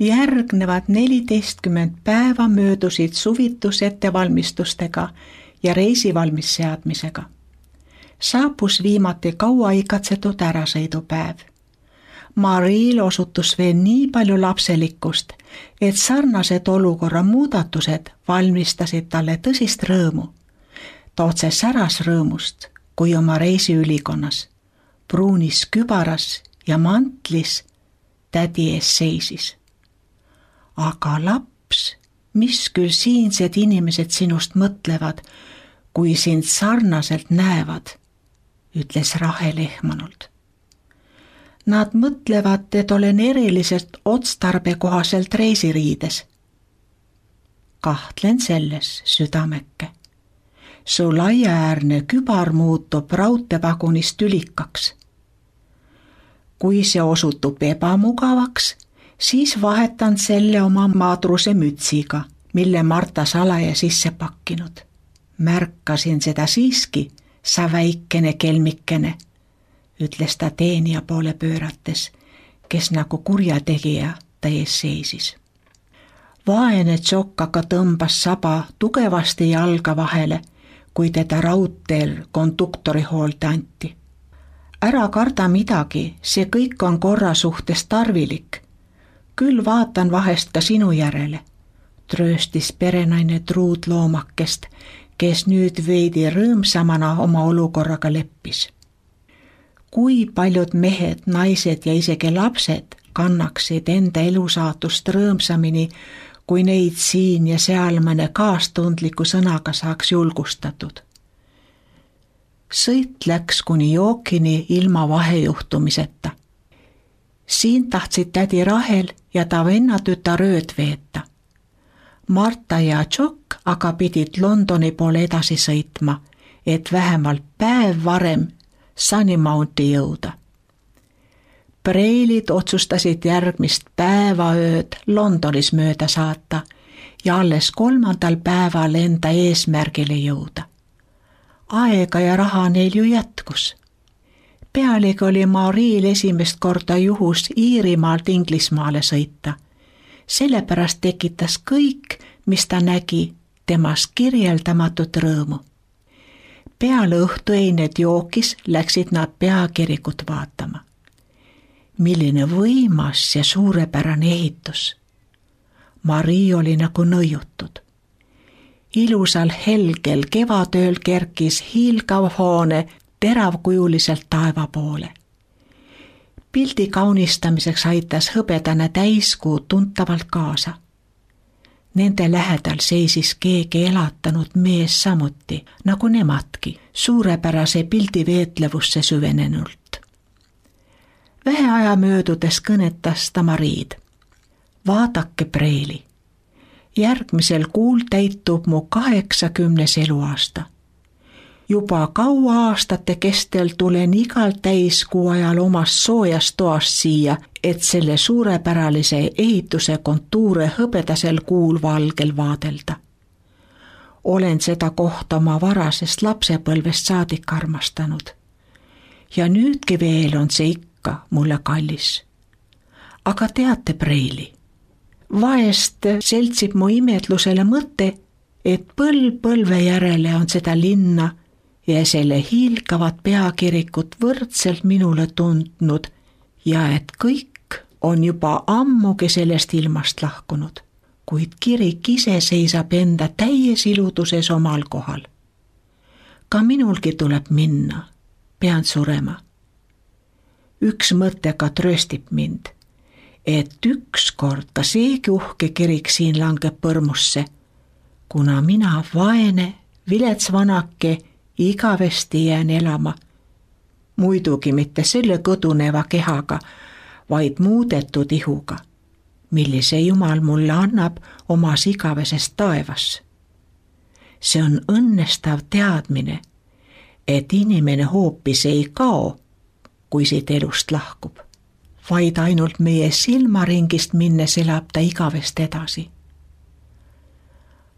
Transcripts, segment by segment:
Järgnevad 14 päeva möödusid suvitusettevalmistustega ja reisi valmisseadmisega. Saabus viimati kaua ikatsetud ärasõidupäev. Mariil osutus veel nii palju lapselikkust, et sarnased olukorra muudatused valmistasid talle tõsist rõõmu. Ta otse säras rõõmust, kui oma reisiülikonnas, pruunis kübaras ja mantlis tädi ees seisis. Aga laps, mis küll siinsed inimesed sinust mõtlevad, kui sind sarnaselt näevad, ütles Rahel ehmanult. Nad mõtlevad, et olen eriliselt otstarbekohaselt reisiriides. Kahtlen selles, südameke. Su laiaäärne kübar muutub raudteevagunist tülikaks. Kui see osutub ebamugavaks, siis vahetan selle oma madruse mütsiga, mille Marta salaja sisse pakkinud. Märkasin seda siiski, sa väikene kelmikene, ütles ta teenija poole pöörates, kes nagu kurjategija ta ees seisis. Vaene Tšokk aga tõmbas saba tugevasti jalga vahele, kui teda raudteel konduktori hoolde anti. Ära karda midagi, see kõik on korra suhtes tarvilik. Küll vaatan vahest ka sinu järele, trööstis perenaine truudloomakest, kes nüüd veidi rõõmsamana oma olukorraga leppis. Kui paljud mehed, naised ja isegi lapsed kannaksid enda elusaatust rõõmsamini, kui neid siin ja seal mõne kaastundliku sõnaga saaks julgustatud. Sõit läks kuni jookini ilma vahejuhtumiseta. Siin tahtsid tädi Rahel ja ta vennatütar ööd veeta. Marta ja Tšokk aga pidid Londoni poole edasi sõitma, et vähemalt päev varem Sunnymounti jõuda. Preilid otsustasid järgmist päevaööd Londonis mööda saata ja alles 3. päeval enda eesmärgile jõuda. Aega ja raha neil ju jätkus. Pealegi oli Mariil esimest korda juhus Iirimaalt Inglismaale sõita. Sellepärast tekitas kõik, mis ta nägi, temas kirjeldamatut rõõmu. Peale õhtueined jookis läksid nad peakirikut vaatama. Milline võimas ja suurepärane ehitus. Marii oli nagu nõiutud. Ilusal helgel kevadööl kerkis hiilgav hoone teravkujuliselt taeva poole. Pildi kaunistamiseks aitas hõbedane täiskuu tuntavalt kaasa. Nende lähedal seisis keegi elatanud mees samuti, nagu nemadki, suurepärase pildi veetlevusse süvenenult. Vähe aja möödudes kõnetas ta Mariid. Vaadake, Preili, järgmisel kuul täitub mu 80. eluaasta. Juba kaua aastate kestel tulen igal täiskuu ajal omast soojast toast siia, et selle suurepäralise ehituse kontuure hõbedasel kuul valgel vaadelda. Olen seda kohta oma varasest lapsepõlvest saadik armastanud. Ja nüüdki veel on see ikka mulle kallis. Aga teate, Preili, vahest seltsib mu imetlusele mõte, et põlve järele on seda linna ja selle hiilgavat peakirikut võrdselt minule tundnud ja et kõik on juba ammugi sellest ilmast lahkunud, kuid kirik ise seisab enda täies iluduses omal kohal. Ka minulgi tuleb minna, pean surema. Üks mõte ka trööstib mind, et ükskord ka seegi uhke kirik siin langeb põrmusse, kuna mina vaene, vilets vanake igavesti jään elama, muidugi mitte selle kõduneva kehaga, vaid muudetud ihuga, millise Jumal mulle annab omas igaveses taevas. See on õnnestav teadmine, et inimene hoopis ei kao, kui siit elust lahkub, vaid ainult meie silmaringist minnes elab ta igavest edasi.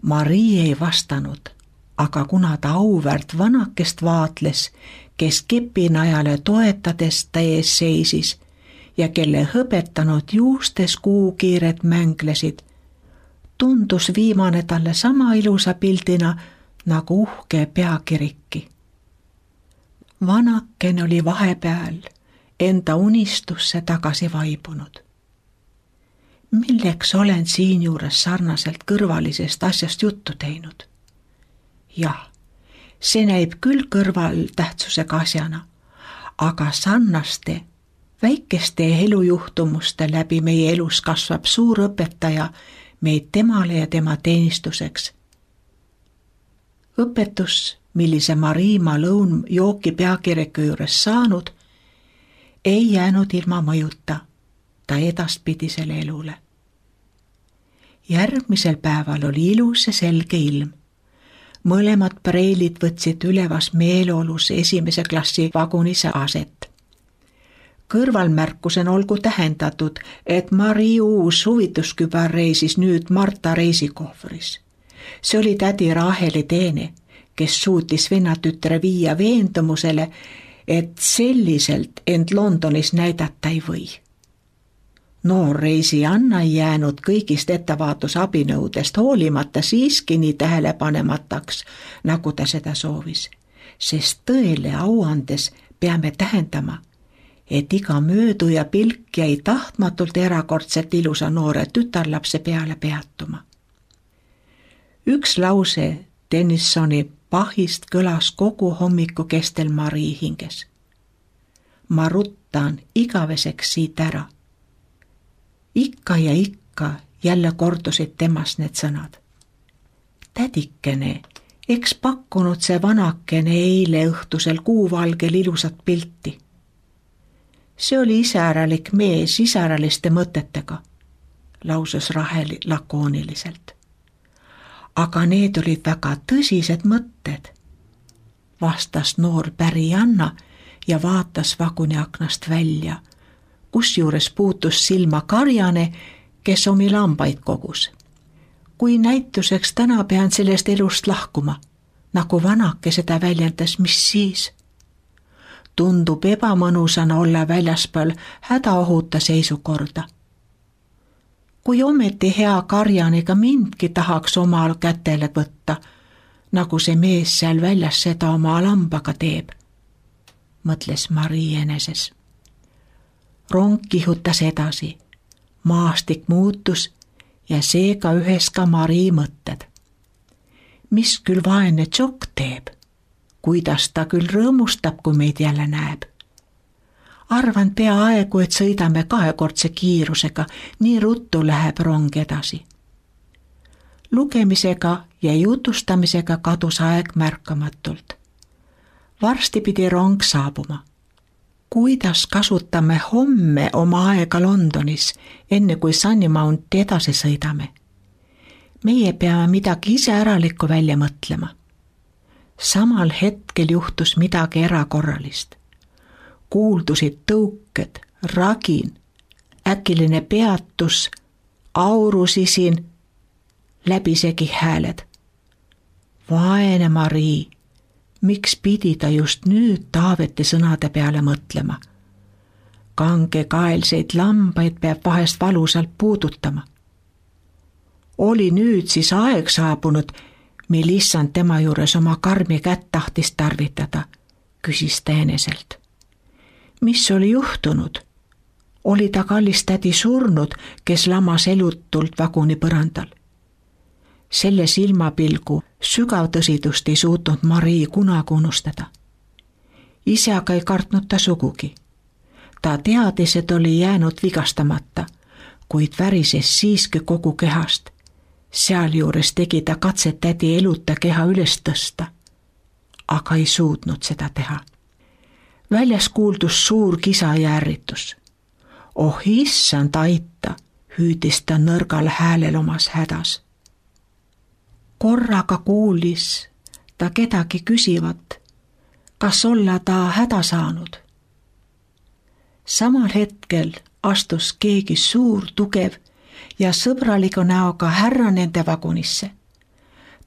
Marii ei vastanud, aga kuna ta auväärt vanakest vaatles, kes kepinajale toetades ta ees seisis ja kelle õpetanud juustes kuukiired mänglesid, tundus viimane talle sama ilusa pildina nagu uhke peakirikki. Vanaken oli vahepeal enda unistusse tagasi vaibunud. Milleks olen siinjuures sarnaselt kõrvalisest asjast juttu teinud? Jah, see näib küll kõrvaltähtsusega asjana, aga sarnaste väikeste elujuhtumuste läbi meie elus kasvab suur õpetaja meid temale ja tema teenistuseks. Õpetus, millise Mariima lõunjooki peakirjaga juures saanud, ei jäänud ilma mõjuta ta edaspidisele elule. Järgmisel päeval oli ilus ja selge ilm. Mõlemad preilid võtsid ülevas meeleolus esimese klassi vagunise aset. Kõrvalmärkusena olgu tähendatud, et Mari uus huvituskübar reisis nüüd Marta reisikohvris. See oli tädi Raheli teene, kes suutis vennatütre viia veendumusele, et selliselt end Londonis näidata ei või. Noor reisijanna ei jäänud kõigist ettevaatusabinõudest hoolimata siiski nii tähelepanemataks, nagu ta seda soovis, sest tõele auandes peame tähendama, et iga mööduja pilk jäi tahtmatult erakordselt ilusa noore tütarlapse peale peatuma. Üks lause Tennysoni pahist kõlas kogu hommiku kestel Mari hinges. Ma ruttan igaveseks siit ära. Ikka ja ikka jälle kordusid temast need sõnad. Tädikene, eks pakkunud see vanakene eile õhtusel kuuvalgel ilusat pilti. See oli iseäralik mees iseäraliste mõtetega, lausus Rahel lakooniliselt. Aga need olid väga tõsised mõtted, vastas noor pärijanna ja vaatas vaguni aknast välja, kusjuures puutus silma karjane, kes omi lambaid kogus. Kui näituseks täna pean sellest elust lahkuma, nagu vanake seda väljendas, mis siis? Tundub ebamõnusana olla väljaspool hädaohuta seisukorda. Kui ometi hea karjanega mindki tahaks omal kätele võtta, nagu see mees seal väljas seda oma lambaga teeb, mõtles Mari eneses. Rong kihutas edasi, maastik muutus ja seega ühes ka Mari mõtted. Mis küll vaene Tšokk teeb, kuidas ta küll rõõmustab, kui meid jälle näeb. Arvan peaaegu, et sõidame kahekordse kiirusega, nii ruttu läheb rong edasi. Lugemisega ja jutustamisega kadus aeg märkamatult. Varsti pidi rong saabuma. Kuidas kasutame homme oma aega Londonis, enne kui Sunnymount edasi sõidame? Meie peame midagi iseäralikku välja mõtlema. Samal hetkel juhtus midagi erakorralist. Kuuldusid tõuked, ragin, äkiline peatus, aurusisin, läbisegi hääled. Vaene Mari, miks pidi ta just nüüd Taaveti sõnade peale mõtlema? Kangekaelseid lambaid peab vahest valusalt puudutama. Oli nüüd siis aeg saabunud, mil issand tema juures oma karmi kätt tahtis tarvitada, küsis ta eneselt. Mis oli juhtunud? Oli ta kallis tädi surnud, kes lamas elutult vaguni põrandal? Selle silmapilgu sügav tõsidust ei suutnud Mari kunagi unustada. Ise aga ei kartnud ta sugugi. Ta teadis, et oli jäänud vigastamata, kuid värises siiski kogu kehast. Sealjuures tegi ta katset tädi eluta keha üles tõsta, aga ei suutnud seda teha. Väljas kuuldus suur kisa ja ärritus. Oh issand aita, hüüdis ta nõrgal häälel omas hädas. Korraga kuulis ta kedagi küsivat, kas olla ta häda saanud. Samal hetkel astus keegi suur, tugev ja sõbraliku näoga härra nende vagunisse.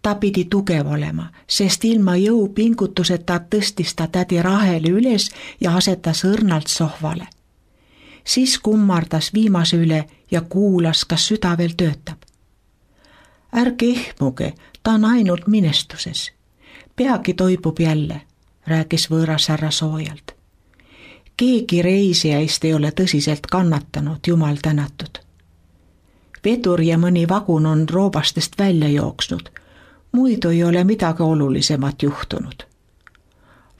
Ta pidi tugev olema, sest ilma jõupingutuseta tõstis ta tädi Raheli üles ja asetas õrnalt sohvale. Siis kummardas viimase üle ja kuulas, kas süda veel töötab. Ärge ehmuge, ta on ainult minestuses. Peagi toibub jälle, rääkis võõras härra soojalt. Keegi reisijaist ei ole tõsiselt kannatanud, jumal tänatud. Vedur ja mõni vagun on roobastest välja jooksnud, muidu ei ole midagi olulisemat juhtunud.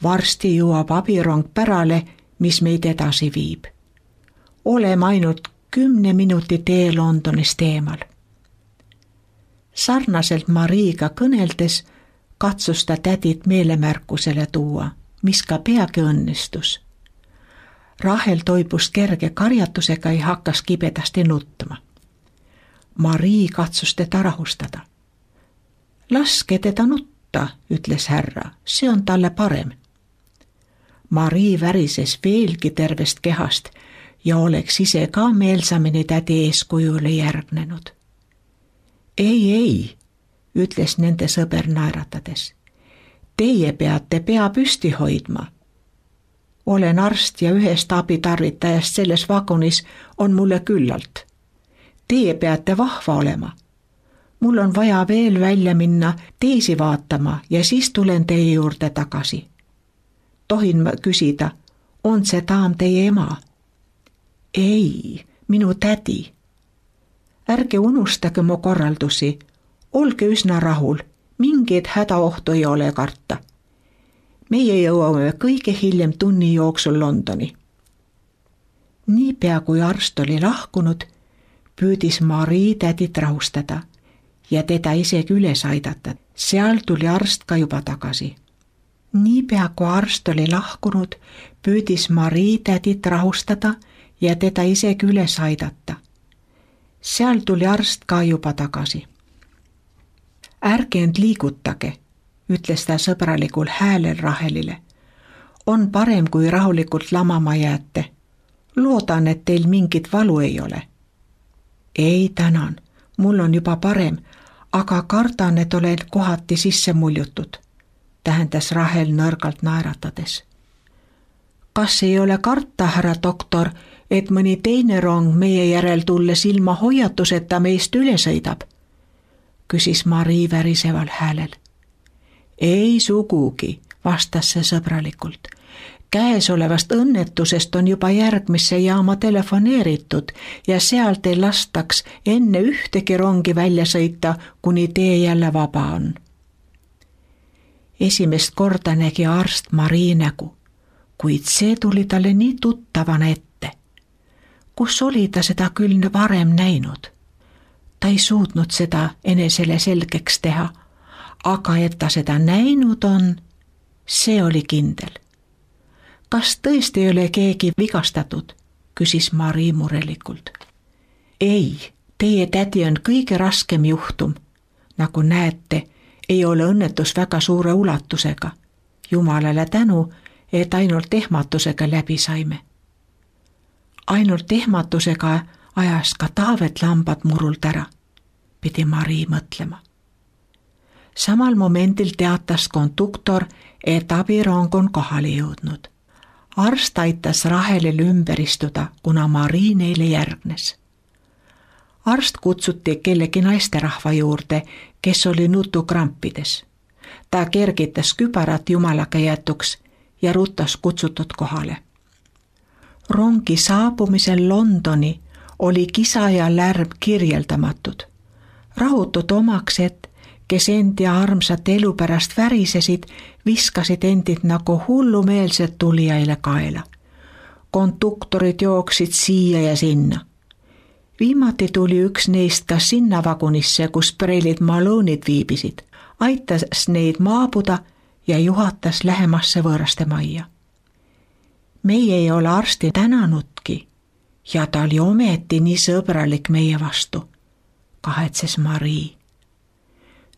Varsti jõuab abirong pärale, mis meid edasi viib. Oleme ainult 10 minuti tee Londonist eemal. Sarnaselt Mariiga kõneldes katsus ta tädit meelemärkusele tuua, mis ka peagi õnnestus. Rahel toibus kerge karjatusega ja hakkas kibedasti nutma. Marii katsus teda rahustada. Laske teda nutta, ütles härra, see on talle parem. Marii värises veelgi tervest kehast ja oleks ise ka meelsamini tädi eeskujule järgnenud. Ei, ütles nende sõber naeratades. Teie peate pea püsti hoidma. Olen arst ja ühest abitarvitajast selles vagunis on mulle küllalt. Teie peate vahva olema. Mul on vaja veel välja minna teisi vaatama ja siis tulen teie juurde tagasi. Tohin ma küsida, on see daam teie ema? Ei, minu tädi. Ärge unustage mu korraldusi. Olge üsna rahul, mingeid hädaohtu ei ole karta. Meie jõuame kõige hiljem tunni jooksul Londoni. Niipea kui arst oli lahkunud, püüdis Marii tädit rahustada ja teda isegi üles aidata. Seal tuli arst ka juba tagasi. Niipea kui arst oli lahkunud, püüdis Marii tädit rahustada ja teda isegi üles aidata. Seal tuli arst ka juba tagasi. Ärge end liigutage, ütles ta sõbralikul häälel Rahelile. On parem, kui rahulikult lamama jääte. Loodan, et teil mingit valu ei ole. Ei, tänan, mul on juba parem, aga kardan, et olen kohati sisse muljutud, tähendas Rahel nõrgalt naeratades. Kas ei ole karta, härra doktor, et mõni teine rong meie järel tulles ilma hoiatuseta meist üle sõidab? Küsis Marii väriseval häälel. Ei sugugi, vastas see sõbralikult. Käesolevast õnnetusest on juba järgmisse jaama telefoneeritud ja sealt ei lastaks enne ühtegi rongi välja sõita, kuni tee jälle vaba on. Esimest korda nägi arst Marii nägu, kuid see tuli talle nii tuttavana ette. Kus oli ta seda küll varem näinud? Ta ei suutnud seda enesele selgeks teha, aga et ta seda näinud on, see oli kindel. Kas tõesti ei ole keegi vigastatud? Küsis Marii murelikult. Ei, teie tädi on kõige raskem juhtum. Nagu näete, ei ole õnnetus väga suure ulatusega. Jumalale tänu, et ainult ehmatusega läbi saime. Ainult ehmatusega ajas ka Taavet lambad murult ära, pidi Marii mõtlema. Samal momendil teatas konduktor, et abirong on kohale jõudnud. Arst aitas Rahelil ümber istuda, kuna Marii neile järgnes. Arst kutsuti kellegi naisterahva juurde, kes oli nutukrampides. Ta kergitas kübarat jumalaga jätuks ja rutas kutsutud kohale. Rongi saabumisel Londoni oli kisa ja lärm kirjeldamatud. Rahutud omaksed, kes endi armsat elu pärast värisesid, viskasid endid nagu hullumeelsed tulijaile kaela. Konduktorid jooksid siia ja sinna. Viimati tuli üks neist ka sinna vagunisse, kus preilid Maloonid viibisid, aitas neid maabuda ja juhatas lähemasse võõraste majja. Meie ei ole arsti tänanudki ja ta oli ometi nii sõbralik meie vastu, kahetses Marii.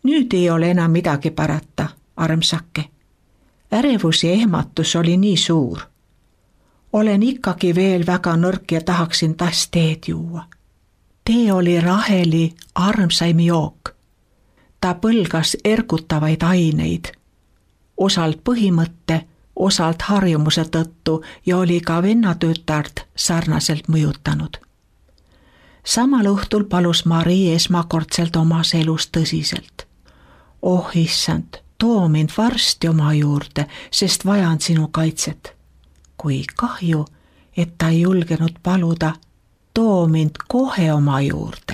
Nüüd ei ole enam midagi parata, armsake. Ärevus ja ehmatus oli nii suur. Olen ikkagi veel väga nõrk ja tahaksin taas teed juua. Tee oli Raheli armsaim jook. Ta põlgas ergutavaid aineid, osalt põhimõtte, osalt harjumuse tõttu ja oli ka vennatütart sarnaselt mõjutanud. Samal õhtul palus Mari esmakordselt omas elus tõsiselt. Oh issand, too mind varsti oma juurde, sest vajan sinu kaitset. Kui kahju, et ta ei julgenud paluda, too mind kohe oma juurde.